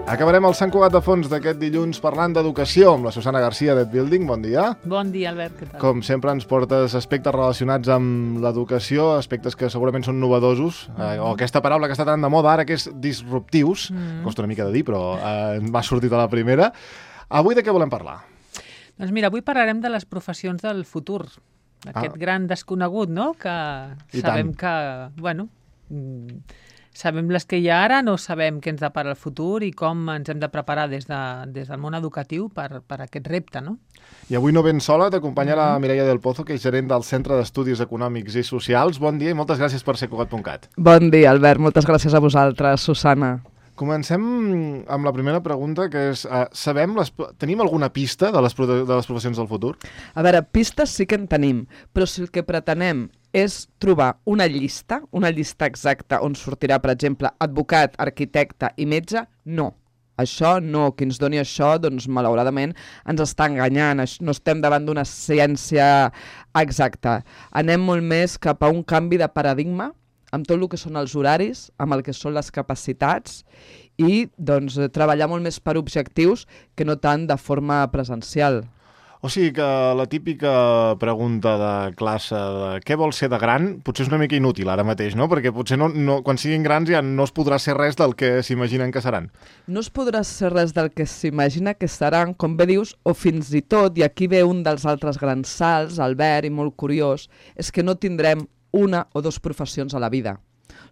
Acabarem el Sant Cugat de Fons d'aquest dilluns parlant d'educació amb la Susana Garcia d'Ed Building. Bon dia. Bon dia, Albert, què tal? Com sempre ens portes aspectes relacionats amb l'educació, aspectes que segurament són novedosos, o aquesta paraula que està tan de moda ara, que és disruptius. Costa una mica de dir, però m'ha sortit a la primera. Avui de què volem parlar? Doncs mira, avui parlarem de les professions del futur, aquest gran desconegut, no?, que sabem que, bueno, sabem les que hi ha ara, no sabem què ens depara el futur i com ens hem de preparar des del món educatiu per aquest repte, no? I avui no ben sola, t'acompanya la Mireia del Pozo, que és gerent del Centre d'Estudis Econòmics i Socials. Bon dia i moltes gràcies per ser Cugat.cat. Bon dia, Albert. Moltes gràcies a vosaltres, Susana. Comencem amb la primera pregunta, que és, tenim alguna pista de les professions del futur? A veure, pistes sí que en tenim, però si el que pretenem és trobar una llista exacta on sortirà, per exemple, advocat, arquitecte i metge, no. Això no, qui ens doni això, doncs malauradament ens està enganyant, no estem davant d'una ciència exacta. Anem molt més cap a un canvi de paradigma, amb tot el que són els horaris, amb el que són les capacitats i doncs, treballar molt més per objectius que no tant de forma presencial. O sigui que la típica pregunta de classe de què vols ser de gran potser és una mica inútil ara mateix, no? Perquè potser quan siguin grans ja no es podrà ser res del que s'imaginen que seran. No es podrà ser res del que s'imagina que seran, com bé dius, o fins i tot, i aquí ve un dels altres grans salts, Albert, i molt curiós, és que no tindrem una o dues professions a la vida.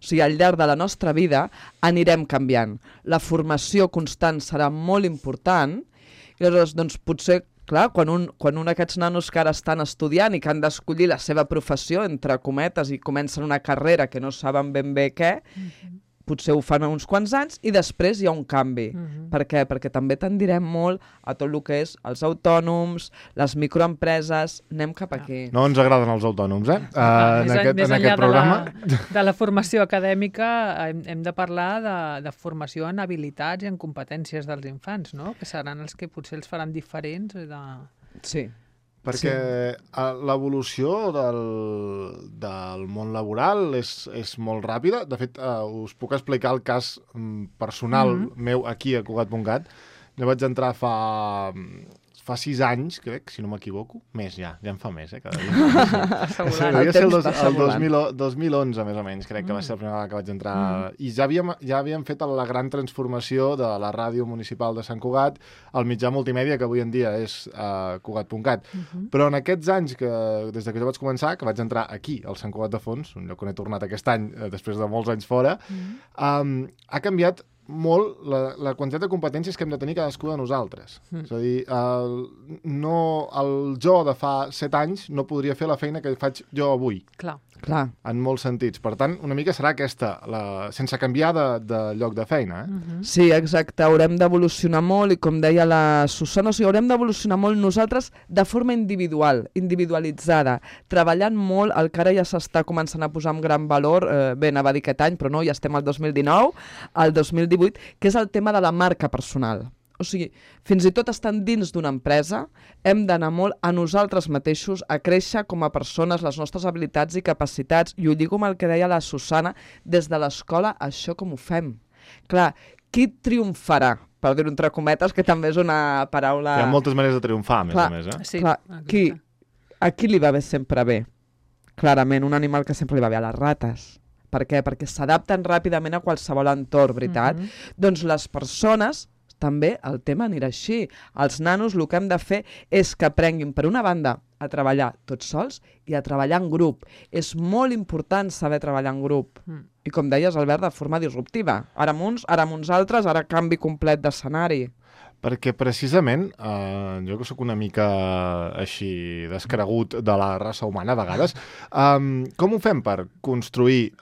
O sigui, al llarg de la nostra vida anirem canviant. La formació constant serà molt important i llavors, doncs, potser, clar, quan un d'aquests nanos que ara estan estudiant i que han d'escollir la seva professió, entre cometes, i comencen una carrera que no saben ben bé què, potser ho fan uns quants anys i després hi ha un canvi. Per què? Perquè també tendirem molt a tot el que és els autònoms, les microempreses, anem cap aquí. No ens agraden els autònoms, en aquest programa. De la formació acadèmica hem de parlar de formació en habilitats i en competències dels infants, no? Que seran els que potser els faran diferents. Sí. Perquè l'evolució del món laboral és molt ràpida. De fet, us puc explicar el cas personal meu aquí a Cugat.cat. Jo vaig entrar fa 6 anys, crec, si no m'equivoco. Més, ja en fa més, cada dia. Devia ser el 2011, més o menys, crec que va ser la primera vegada que vaig entrar. I ja havíem fet la gran transformació de la ràdio municipal de Sant Cugat al mitjà multimèdia, que avui en dia és Cugat.cat. Però en aquests anys, des que jo vaig començar, que vaig entrar aquí, al Sant Cugat de Fons, un lloc on he tornat aquest any, després de molts anys fora, ha canviat molt la quantitat de competències que hem de tenir cadascú de nosaltres. És a dir, el jo de fa 7 anys no podria fer la feina que faig jo avui. Clar. En molts sentits. Per tant, una mica serà aquesta, sense canviar de lloc de feina. Sí, exacte. Haurem d'evolucionar molt i, com deia la Susana, haurem d'evolucionar molt nosaltres de forma individual, individualitzada, treballant molt el que ara ja s'està començant a posar amb gran valor, bé, anava a dir aquest any, però no, ja estem al 2019, al 2018, que és el tema de la marca personal. O sigui, fins i tot estant dins d'una empresa, hem d'anar molt a nosaltres mateixos, a créixer com a persones, les nostres habilitats i capacitats, i ho lligo amb el que deia la Susana, des de l'escola, això com ho fem? Clar, qui triomfarà? Per dir-ho entre cometes, que també és una paraula... Hi ha moltes maneres de triomfar, a més. Sí, clar, a qui li va bé sempre bé? Clarament, un animal que sempre li va bé a les rates. Per què? Perquè s'adapten ràpidament a qualsevol entorn, veritat? Doncs les persones... També el tema anirà així. Els nanos el que hem de fer és que aprenguin, per una banda, a treballar tots sols i a treballar en grup. És molt important saber treballar en grup. I com deies, Albert, de forma disruptiva. Ara amb uns, ara amb uns altres, ara canvi complet d'escenari. Perquè precisament, jo que sóc una mica així descregut de la raça humana a vegades, com ho fem per construir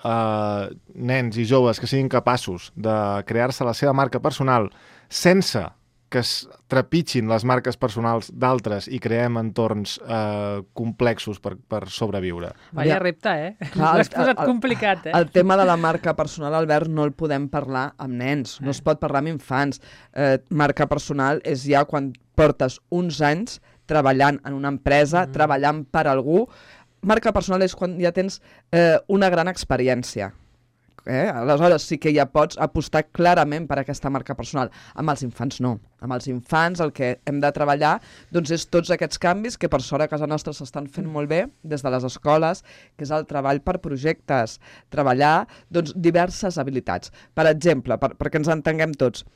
nens i joves que siguin capaços de crear-se la seva marca personal sense que es trepitgin les marques personals d'altres i creem entorns complexos per sobreviure? Vaya repte, L'has posat complicat, El tema de la marca personal, Albert, no el podem parlar amb nens, no es pot parlar amb infants. Marca personal és ja quan portes uns anys treballant en una empresa, treballant per algú. Marca personal és quan ja tens una gran experiència. Aleshores sí que ja pots apostar clarament per aquesta marca personal. Amb els infants no. Amb els infants el que hem de treballar doncs, és tots aquests canvis que per sort a casa nostra s'estan fent molt bé des de les escoles, que és el treball per projectes, treballar doncs, diverses habilitats. Per exemple, perquè ens entenguem tots,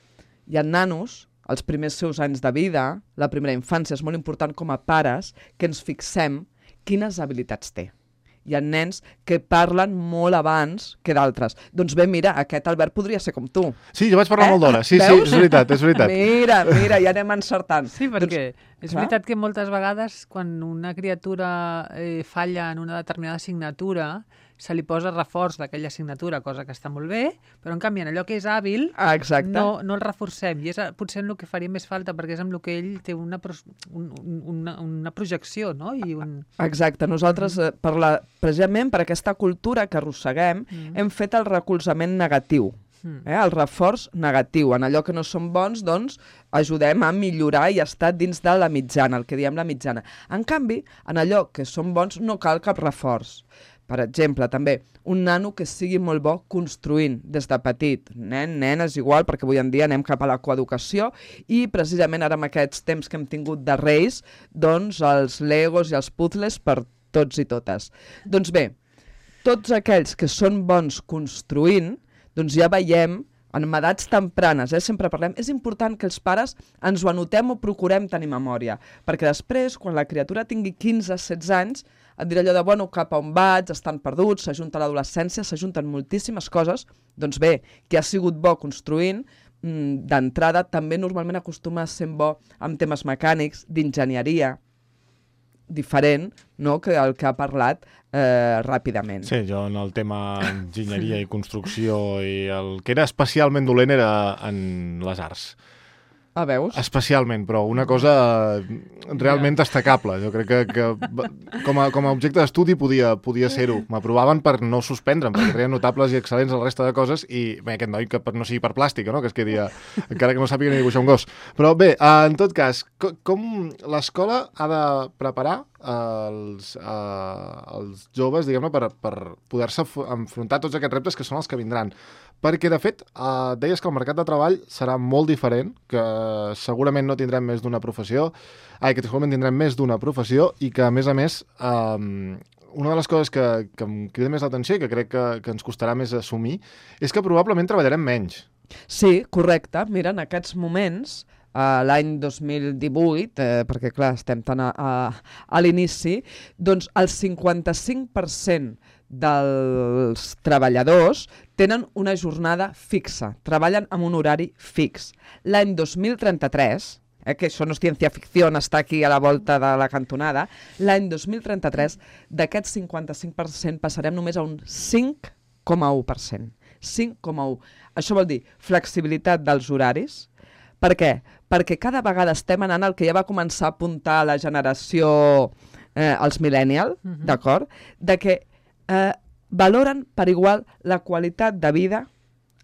hi ha nanos, els primers seus anys de vida, la primera infància, és molt important com a pares que ens fixem quines habilitats té. Hi ha nens que parlen molt abans que d'altres. Doncs bé, mira, aquest Albert podria ser com tu. Sí, jo vaig parlar molt d'hora. Sí, Veus? Sí, és veritat, és veritat. Mira, ja anem encertant. Sí, perquè és veritat que moltes vegades quan una criatura falla en una determinada assignatura se li posa reforç d'aquella assignatura, cosa que està molt bé, però en canvi en allò que és hàbil no el reforcem. I és potser en el que faria més falta, perquè és amb el que ell té una projecció, no? Exacte. Nosaltres, precisament per aquesta cultura que arrosseguem, hem fet el recolzament negatiu. El reforç negatiu. En allò que no som bons, doncs, ajudem a millorar i estar dins de la mitjana, el que diem la mitjana. En canvi, en allò que som bons no cal cap reforç. Per exemple, també, un nano que sigui molt bo construint des de petit. Nen, és igual, perquè avui en dia anem cap a la coeducació i precisament ara amb aquests temps que hem tingut de Reis, doncs els legos i els puzzles per tots i totes. Doncs bé, tots aquells que són bons construint, doncs ja veiem en edats tempranes, sempre parlem, és important que els pares ens ho anotem o procurem tenir memòria, perquè després, quan la criatura tingui 15-16 anys, et dirà allò de, bueno, cap a on vaig, estan perduts, s'ajunta l'adolescència, s'ajunten moltíssimes coses, doncs bé, qui ha sigut bo construint, d'entrada també normalment acostuma a ser bo amb temes mecànics, d'enginyeria, diferent, no?, que el que ha parlat ràpidament. Sí, jo en el tema enginyeria i construcció i el que era especialment dolent era en les arts. Veus? Especialment, però una cosa realment destacable. Jo crec que com a objecte d'estudi podia ser-ho. M'aprovaven per no suspendre'm, perquè treien notables i excel·lents la resta de coses i bé, aquest noi que no sigui per plàstica, no? Que es quedi, encara que no sàpiga ni dibuixar un gos. Però bé, en tot cas, com l'escola ha de preparar els joves, diguem-ne, per poder-se enfrontar tots aquests reptes que són els que vindran. Perquè, de fet, deies que el mercat de treball serà molt diferent, que segurament no tindrem més d'una professió, que segurament tindrem més d'una professió i que, a més, una de les coses que em crida més l'atenció i que crec que ens costarà més assumir és que probablement treballarem menys. Sí, correcte. Mira, en aquests moments, l'any 2018, perquè clar, estem tan a l'inici, doncs el 55% dels treballadors tenen una jornada fixa, treballen amb un horari fix. L'any 2033, que això no és ciència-ficció, està aquí a la volta de la cantonada, l'any 2033 d'aquest 55% passarem només a un 5,1%. 5,1%. Això vol dir flexibilitat dels horaris. Per què? Perquè cada vegada estem anant al que ja va començar a apuntar la generació, els millennials, d'acord? De que valoren per igual la qualitat de vida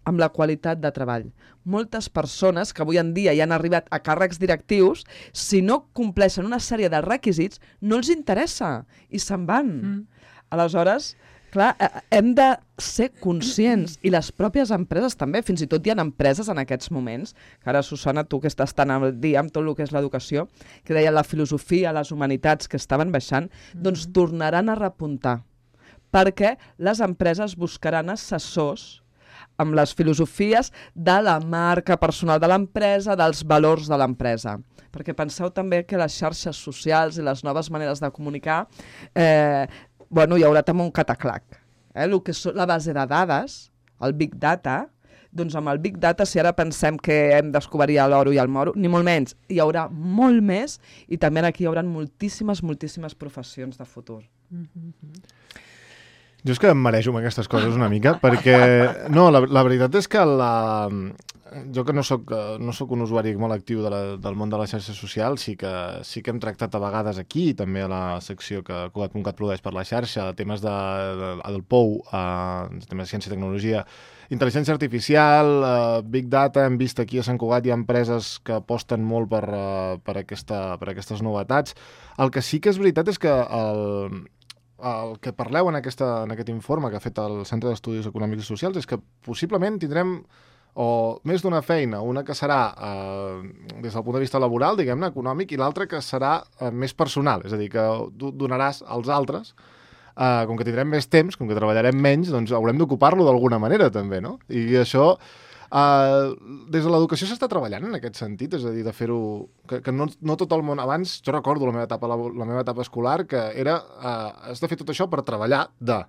amb la qualitat de treball. Moltes persones que avui en dia ja han arribat a càrrecs directius, si no compleixen una sèrie de requisits, no els interessa i se'n van. Aleshores, clar, hem de ser conscients, i les pròpies empreses també, fins i tot hi ha empreses en aquests moments, que ara, Susana, tu que estàs tan al dia amb tot el que és l'educació, que deien la filosofia, les humanitats que estaven baixant, doncs tornaran a repuntar, perquè les empreses buscaran assessors amb les filosofies de la marca personal de l'empresa, dels valors de l'empresa. Perquè penseu també que les xarxes socials i les noves maneres de comunicar hi haurà també un cataclac. El que és la base de dades, el Big Data, doncs amb el Big Data, si ara pensem que hem de descobrir l'oro i el moro, ni molt menys, hi haurà molt més i també aquí hi haurà moltíssimes professions de futur. Jo és que em marejo amb aquestes coses una mica, perquè no, la veritat és que jo que no soc un usuari molt actiu del món de les xarxes socials, sí que hem tractat a vegades aquí, també a la secció que Cugat.cat produeix per la xarxa, temes del POU, temes de ciència i tecnologia, intel·ligència artificial, Big Data, hem vist aquí a Sant Cugat hi ha empreses que aposten molt per aquestes novetats. El que sí que és veritat és que el que parleu en aquest informe que ha fet el Centre d'Estudis Econòmics i Socials és que possiblement tindrem o més d'una feina, una que serà des del punt de vista laboral, diguem-ne, econòmic, i l'altra que serà més personal, és a dir, que donaràs als altres, com que tindrem més temps, com que treballarem menys, doncs haurem d'ocupar-lo d'alguna manera, també, no? I això, des de l'educació s'està treballant en aquest sentit, és a dir, de fer-ho... Que no tot el món... Abans, jo recordo la meva etapa escolar, que era... has de fer tot això per treballar de...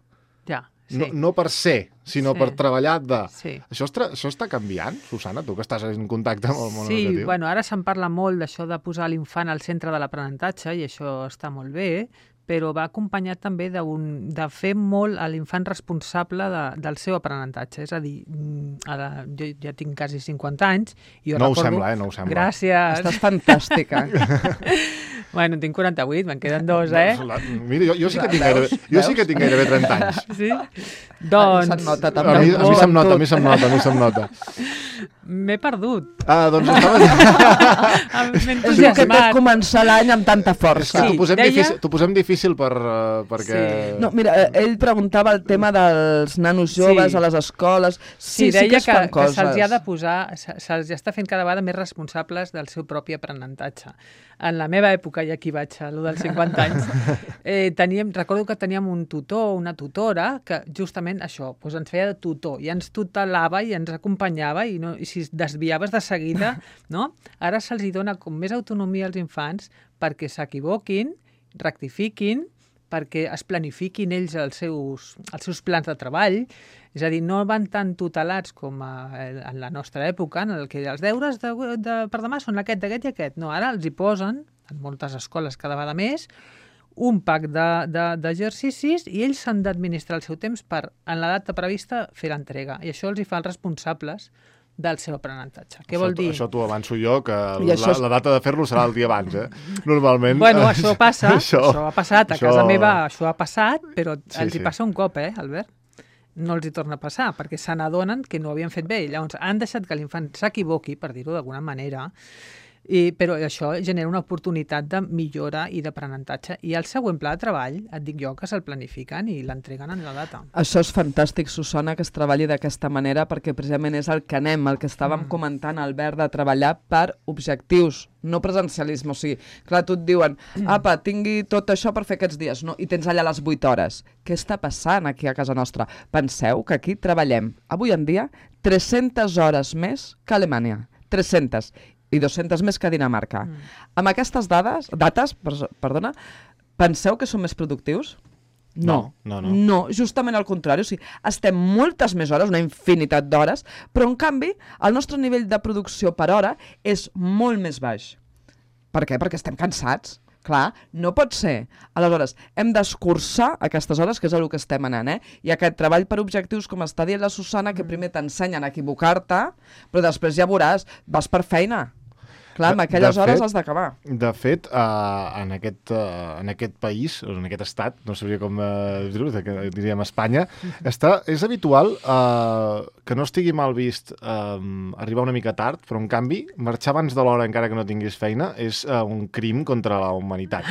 Ja. Sí. No per ser, sinó per treballar de... Sí. Això està canviant, Susana, tu que estàs en contacte amb el món educatiu? Sí, bueno, ara se'n parla molt d'això de posar l'infant al centre de l'aprenentatge i això està molt bé, però va acompanyat també de fer molt a l'infant responsable del seu aprenentatge. És a dir, jo ja tinc quasi 50 anys i jo no recordo... ho sembla, no ho sembla. Gràcies. Estàs fantàstica. Bueno, tinc 48, me'n queden 2, eh? Mira, jo sí que tinc gairebé 30 anys. Sí? Doncs... Se'n nota, també. A mi se'm nota. M'he perdut. Doncs estava... És que t'has començar l'any amb tanta força. És que t'ho posem difícil perquè... Sí. No, mira, ell preguntava el tema dels nanos joves a les escoles. Sí, deia que es fan coses. Que se'ls ha de posar, se'ls està fent cada vegada més responsables del seu propi aprenentatge. En la meva època, i aquí vaig a lo dels 50 anys, recordo que teníem un tutor, una tutora, que justament això, doncs ens feia de tutor, i ens tutelava i ens acompanyava, i si es desviaves de seguida, no? Ara se'ls dona com més autonomia als infants perquè s'equivoquin, rectifiquin, perquè es planifiquin ells els seus plans de treball. És a dir, no van tan tutelats com en la nostra època, en el que els deures per demà són aquest i aquest. No, ara els hi posen, en moltes escoles cada vegada més, un pack d'exercicis i ells s'han d'administrar el seu temps per, en la data prevista, fer l'entrega. I això els hi fa els responsables del seu aprenentatge. Què vol dir? Això t'ho avanço jo, que la data de fer-lo serà el dia abans, Normalment... Bueno, això passa, això ha passat, a casa meva això ha passat, però els hi passa un cop, Albert? No els hi torna a passar, perquè se n'adonen que no ho havien fet bé. Llavors, han deixat que l'infant s'equivoqui, per dir-ho d'alguna manera, però això genera una oportunitat de millora i d'aprenentatge. I el següent pla de treball, et dic jo, que se'l planifiquen i l'entreguen en la data. Això és fantàstic, Susana, que es treballi d'aquesta manera, perquè precisament és el que anem, el que estàvem comentant, Albert, de treballar per objectius, no presencialisme. O sigui, clar, tu et diuen, apa, tingui tot això per fer aquests dies, no? I tens allà les 8 hores. Què està passant aquí a casa nostra? Penseu que aquí treballem, avui en dia, 300 hores més que Alemanya. 300. I 200 més que Dinamarca. Amb aquestes dates, penseu que som més productius? No, justament al contrari. O sigui, estem moltes més hores, una infinitat d'hores, però en canvi el nostre nivell de producció per hora és molt més baix. Per què? Perquè estem cansats. Clar, no pot ser. Aleshores, hem d'escurçar aquestes hores, que és el que estem anant, I aquest treball per objectius, com està dient la Susana, que primer t'ensenyen a equivocar-te, però després ja veuràs, vas per feina. Clar, amb aquelles hores has d'acabar. De fet, en aquest país, o en aquest estat, no sabria com dir-ho, diríem Espanya, és habitual que no estigui mal vist arribar una mica tard, però en canvi, marxar abans de l'hora encara que no tinguis feina és un crim contra la humanitat.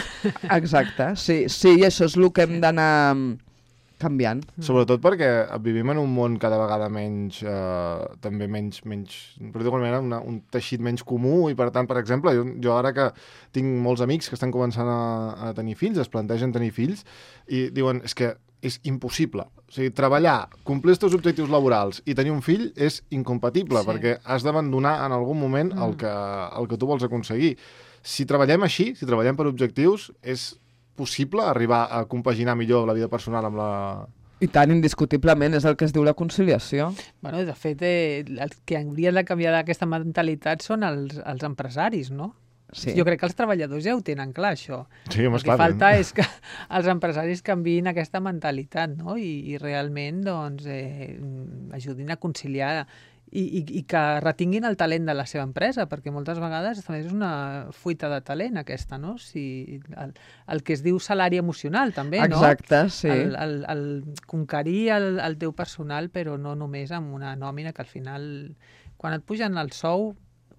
Exacte, sí, i això és el que hem d'anar canviant. Sobretot perquè vivim en un món cada vegada menys, també menys, per dir-ho d'alguna manera, un teixit menys comú, i per tant, per exemple, jo ara que tinc molts amics que estan començant a tenir fills, es plantegen tenir fills, i diuen, és que és impossible. O sigui, treballar, complir els teus objectius laborals i tenir un fill és incompatible, perquè has d'abandonar en algun moment el que tu vols aconseguir. Si treballem així, si treballem per objectius, és possible arribar a compaginar millor la vida personal amb la... I tant, indiscutiblement, és el que es diu la conciliació. Bueno, de fet, el que hauria de canviar d'aquesta mentalitat són els empresaris, no? Sí. Jo crec que els treballadors ja ho tenen clar, això. Sí, home, el que falta és que els empresaris canviïn aquesta mentalitat, no? I realment, doncs, ajudin a conciliar i que retinguin el talent de la seva empresa, perquè moltes vegades també és una fuita de talent aquesta, no? Si el que es diu salari emocional, també, no? Exacte, sí. El conquerir el teu personal, però no només amb una nòmina que al final, quan et pugen el sou,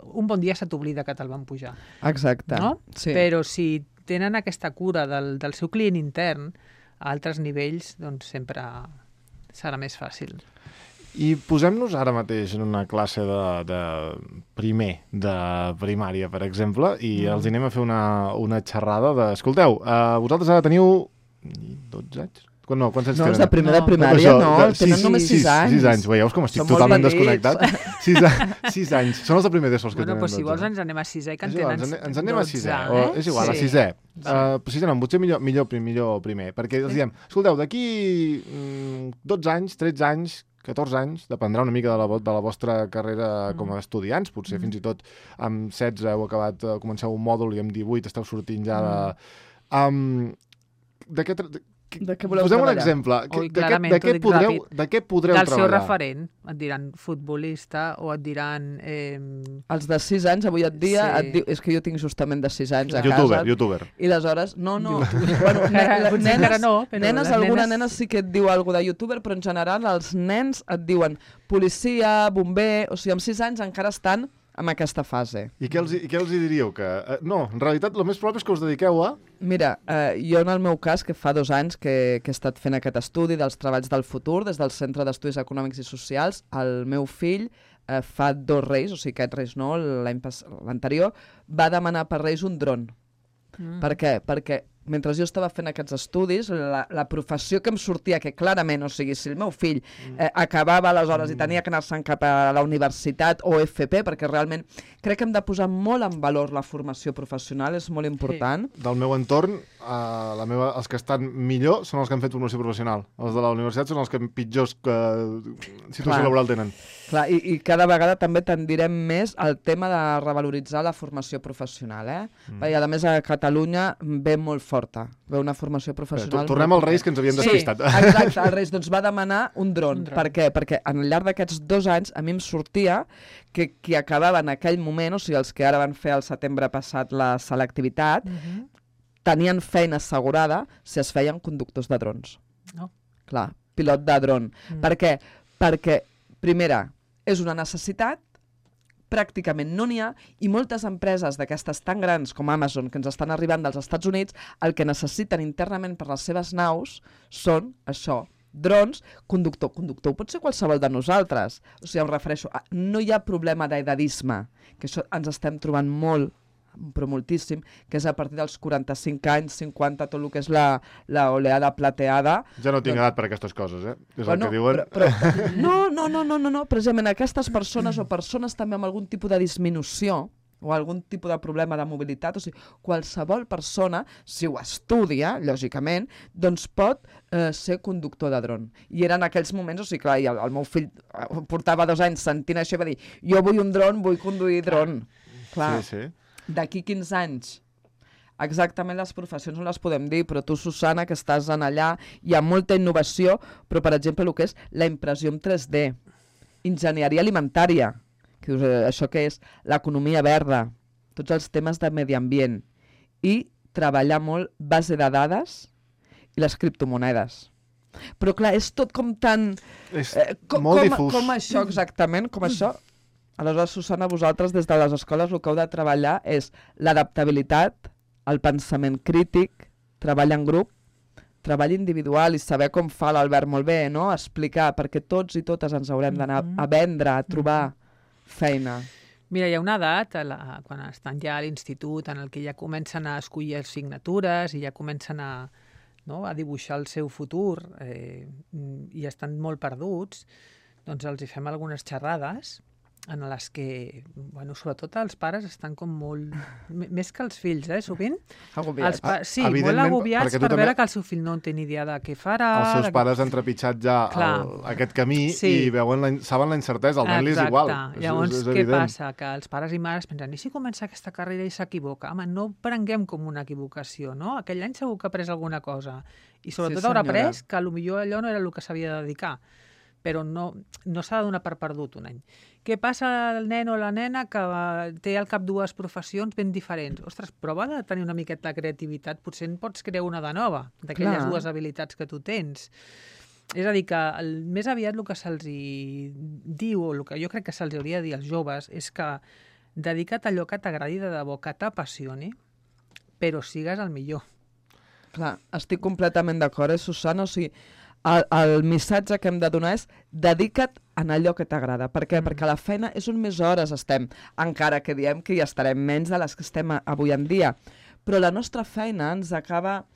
un bon dia se t'oblida que te'l van pujar. Exacte, no? sí. Però si tenen aquesta cura del seu client intern, a altres nivells, doncs sempre serà més fàcil. I posem-nos ara mateix en una classe de primer, de primària, per exemple, i els anem a fer una xerrada de... Escolteu, vosaltres ara teniu 12 anys? No, quants anys no, tenen? És de primer de primària, tenen només 6 anys. 6 anys, veieu com estic totalment desconnectat? 6 anys, són els de primer d'ESO els que tenen 12. Bueno, si vols ens anem a 6è, que en tenen 12. Ens anem a 6è, és igual, a 6è. Sisè no, potser millor primer, perquè els diem, escolteu, d'aquí 12 anys, 13 anys, 14 anys, dependrà una mica de la vostra carrera com a estudiants, potser fins i tot amb 16 heu acabat, comenceu un mòdul i amb 18 esteu sortint ja de què voleu treballar? Posem un exemple. De què podreu treballar? Del seu referent. Et diran futbolista o et diran... Els de 6 anys, avui et dia, és que jo tinc justament de 6 anys a casa. YouTuber. I aleshores, no. Bueno, nenes, alguna nena sí que et diu alguna de YouTuber, però en general els nens et diuen policia, bomber... O sigui, amb 6 anys encara estan en aquesta fase. I què els diríeu? No, en realitat, el més probable és que us dediqueu a... Mira, jo en el meu cas, que fa 2 anys que he estat fent aquest estudi dels treballs del futur des del Centre d'Estudis Econòmics i Socials, el meu fill fa 2 Reis, o sigui, aquest Reis no, l'anterior, va demanar per Reis un dron. Per què? Perquè mentre jo estava fent aquests estudis, la professió que em sortia, que clarament, o sigui, si el meu fill acabava aleshores i tenia que anar-se'n cap a la universitat o FP, perquè realment crec que hem de posar molt en valor la formació professional, és molt important. Sí. Del meu entorn, els que estan millor són els que han fet formació professional. Els de la universitat són els que pitjors situació laboral tenen. Clar, i cada vegada també tendirem més al tema de revaloritzar la formació professional, Perquè, a més, a Catalunya ve molt forta, ve una formació professional... Tornem als Reis, que ens havíem despistat. Sí, exacte, el Reis doncs, va demanar un dron. Per què? Perquè al llarg d'aquests 2 anys a mi em sortia que qui acabava en aquell moment, o sigui, els que ara van fer el setembre passat la selectivitat, tenien feina assegurada si es feien conductors de drons. Clar, pilot de dron. Per què? Perquè, primera, és una necessitat, pràcticament no n'hi ha, i moltes empreses d'aquestes tan grans com Amazon, que ens estan arribant dels Estats Units, el que necessiten internament per les seves naus són això, drons, conductor pot ser qualsevol de nosaltres. O sigui, em refereixo, no hi ha problema d'edadisme, que això ens estem trobant molt, però moltíssim, que és a partir dels 45 anys, 50, tot el que és l'oleada plateada. Ja no tinc edat per aquestes coses, És el que diuen. No, precisament aquestes persones o persones també amb algun tipus de disminució o algun tipus de problema de mobilitat, o sigui, qualsevol persona, si ho estudia, lògicament, doncs pot ser conductor de dron. I eren aquells moments, o sigui, clar, el meu fill portava 2 anys sentint això i va dir, jo vull un dron, vull conduir dron. Clar. Sí. D'aquí 15 anys, exactament les professions no les podem dir, però tu, Susana, que estàs en allà, hi ha molta innovació, però, per exemple, el que és la impressió en 3D, enginyeria alimentària, que dius, això què és? L'economia verda, tots els temes de medi ambient, i treballar molt base de dades i les criptomonedes. Però, clar, és tot com tan... És molt difús. Com això, exactament, com això... Aleshores, Susana, vosaltres des de les escoles el que heu de treballar és l'adaptabilitat, el pensament crític, treball en grup, treball individual i saber com fa l'Albert molt bé, no? Explicar, perquè tots i totes ens haurem d'anar a vendre, a trobar feina. Mira, hi ha una edat, quan estan ja a l'institut, en el que ja comencen a escollir assignatures i ja comencen a dibuixar el seu futur i estan molt perduts, doncs els hi fem algunes xerrades en les que, sobretot els pares estan com molt... Més que els fills, sovint. Agobiats. Sí, molt agobiats per veure que el seu fill no en té ni idea de què farà. Els seus pares han trepitjat ja aquest camí i saben la incertesa, el nen li és igual. Llavors, què passa? Que els pares i mares pensen, i si comença aquesta carrera i s'equivoca? Home, no ho prenguem com una equivocació, no? Aquell any segur que ha après alguna cosa. I sobretot haurà après que potser allò no era el que s'havia de dedicar. Però no s'ha de donar per perdut un any. Què passa al nen o la nena que té al cap 2 professions ben diferents? Ostres, prova de tenir una miqueta de creativitat, potser en pots crear una de nova, d'aquelles 2 habilitats que tu tens. És a dir, que més aviat el que se'ls diu, o el que jo crec que se'ls hauria de dir als joves, és que dedica't a allò que t'agradi de debò, que t'apassioni, però sigues el millor. Clar, estic completament d'acord, Susana? O sigui, el missatge que hem de donar és dedica't en allò que t'agrada. Per què? Perquè a la feina és on més hores estem, encara que diem que hi estarem menys de les que estem avui en dia. Però la nostra feina ens acaba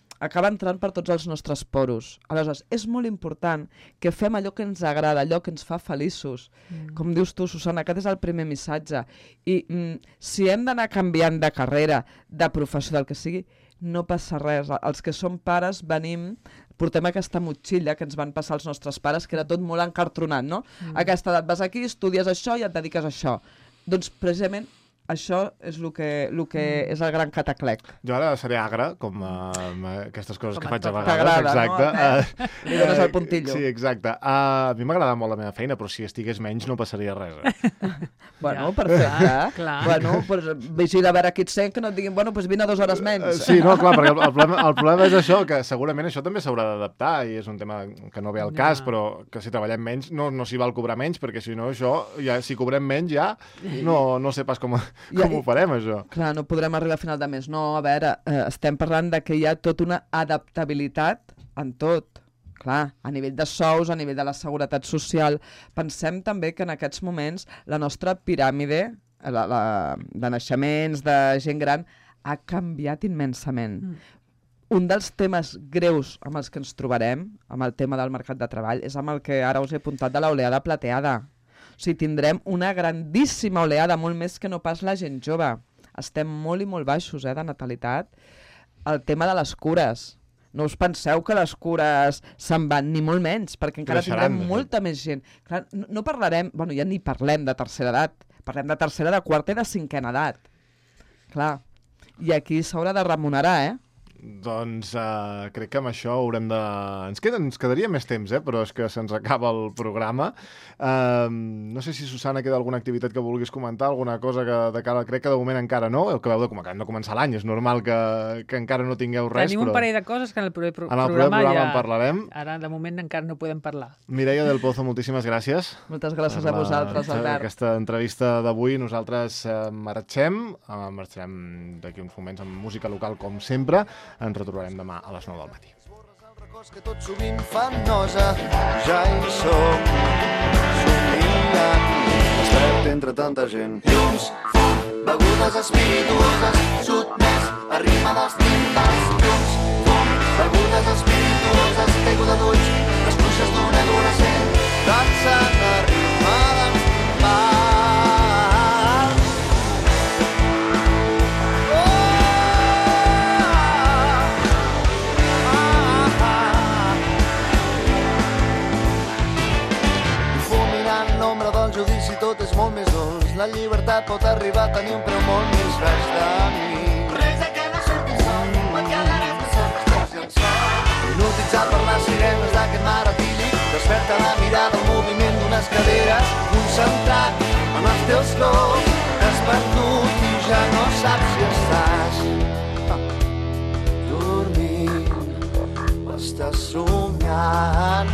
entrant per tots els nostres poros. Aleshores, és molt important que fem allò que ens agrada, allò que ens fa feliços. Com dius tu, Susana, aquest és el primer missatge. I si hem d'anar canviant de carrera, de professió, del que sigui, no passa res. Els que som pares portem aquesta motxilla que ens van passar els nostres pares, que era tot molt encartronat, no? A aquesta edat vas aquí, estudies això i et dediques a això. Doncs precisament això és el que és el gran cataclec. Jo ara seré agre, com aquestes coses que faig a vegades. T'agrada, exacte. No? Li dones el puntillo. Sí, exacte. A mi m'agrada molt la meva feina, però si estigués menys no passaria res. Bueno, perfecte. Clar. Bueno, pues, vigila a veure qui et sent, que no et diguin, bueno, pues vine 2 hores menys. Sí, no, clar, perquè el problema és això, que segurament això també s'haurà d'adaptar, i és un tema que no ve al cas, però que si treballem menys no s'hi val cobrar menys, perquè si no això, ja, si cobrem menys ja, no sé pas com ho farem, això. Clar, no podrem arribar a final de mes. No, a veure, estem parlant de que hi ha tota una adaptabilitat en tot. Clar, a nivell de sous, a nivell de la seguretat social. Pensem també que en aquests moments la nostra piràmide de naixements, de gent gran, ha canviat immensament. Un dels temes greus amb els que ens trobarem, amb el tema del mercat de treball, és amb el que ara us he apuntat de l'oleada plateada. O sigui, tindrem una grandíssima oleada, molt més que no pas la gent jove. Estem molt i molt baixos, de natalitat. El tema de les cures. No us penseu que les cures se'n van, ni molt menys, perquè encara tindrem molta més gent. Clar, no parlarem, bueno, ja ni parlem de tercera edat, parlem de tercera, de quarta i de cinquena edat. Clar, i aquí s'haurà de remunerar, Doncs crec que amb això haurem de... Ens quedaria més temps, però és que se'ns acaba el programa. No sé si, Susana, queda alguna activitat que vulguis comentar, alguna cosa que de cara... Crec que de moment encara no, el que veu de acabem de començar l'any, és normal que encara no tingueu res. Tenim un parell de coses que en el proper programa ja... en parlarem. Ara, de moment, encara no podem parlar. Mireia del Pozo, moltíssimes gràcies. Moltes gràcies a vosaltres, Albert. Aquesta entrevista d'avui, nosaltres marxem d'aquí uns moments amb música local, com sempre. Ens retrobarem demà a les 9 del matí. Que tot sovint fan nosa, ja hi som, somiant, despert entre tanta gent. Llums, fum, begudes espirituoses, sotmès, a ritme dels timbals. Llums, fum, begudes espirituoses, caiguda d'ulls, les bruixes d'un adolescent, dansen a ritme dels timbals. Judici tot és molt més dolç. La llibertat pot arribar a tenir un preu molt més baix de mi. Res de que no surti sol, et quedarem de sol, i el sol. Hipnotitzat per les sirenes d'aquest mar etílic, desperta la mirada al moviment d'unes caderes, concentrat en els teus colors, t'has perdut i ja no saps si estàs dormint o estàs somiant.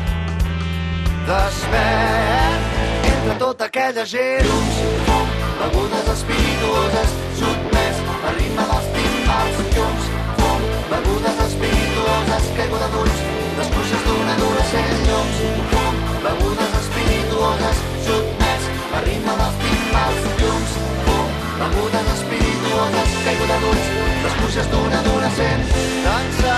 Despert entre tota aquella gent. Llums, fum, begudes espirituoses, sotmès a ritme dels timbals. Llums, fum, begudes espirituoses, caiguda d'ulls, les bruixes d'un adolescent. Llums, fum, begudes espirituoses, sotmès a ritme dels timbals. Llums, fum, begudes espirituoses, caiguda d'ulls, les bruixes d'un adolescent. Dansa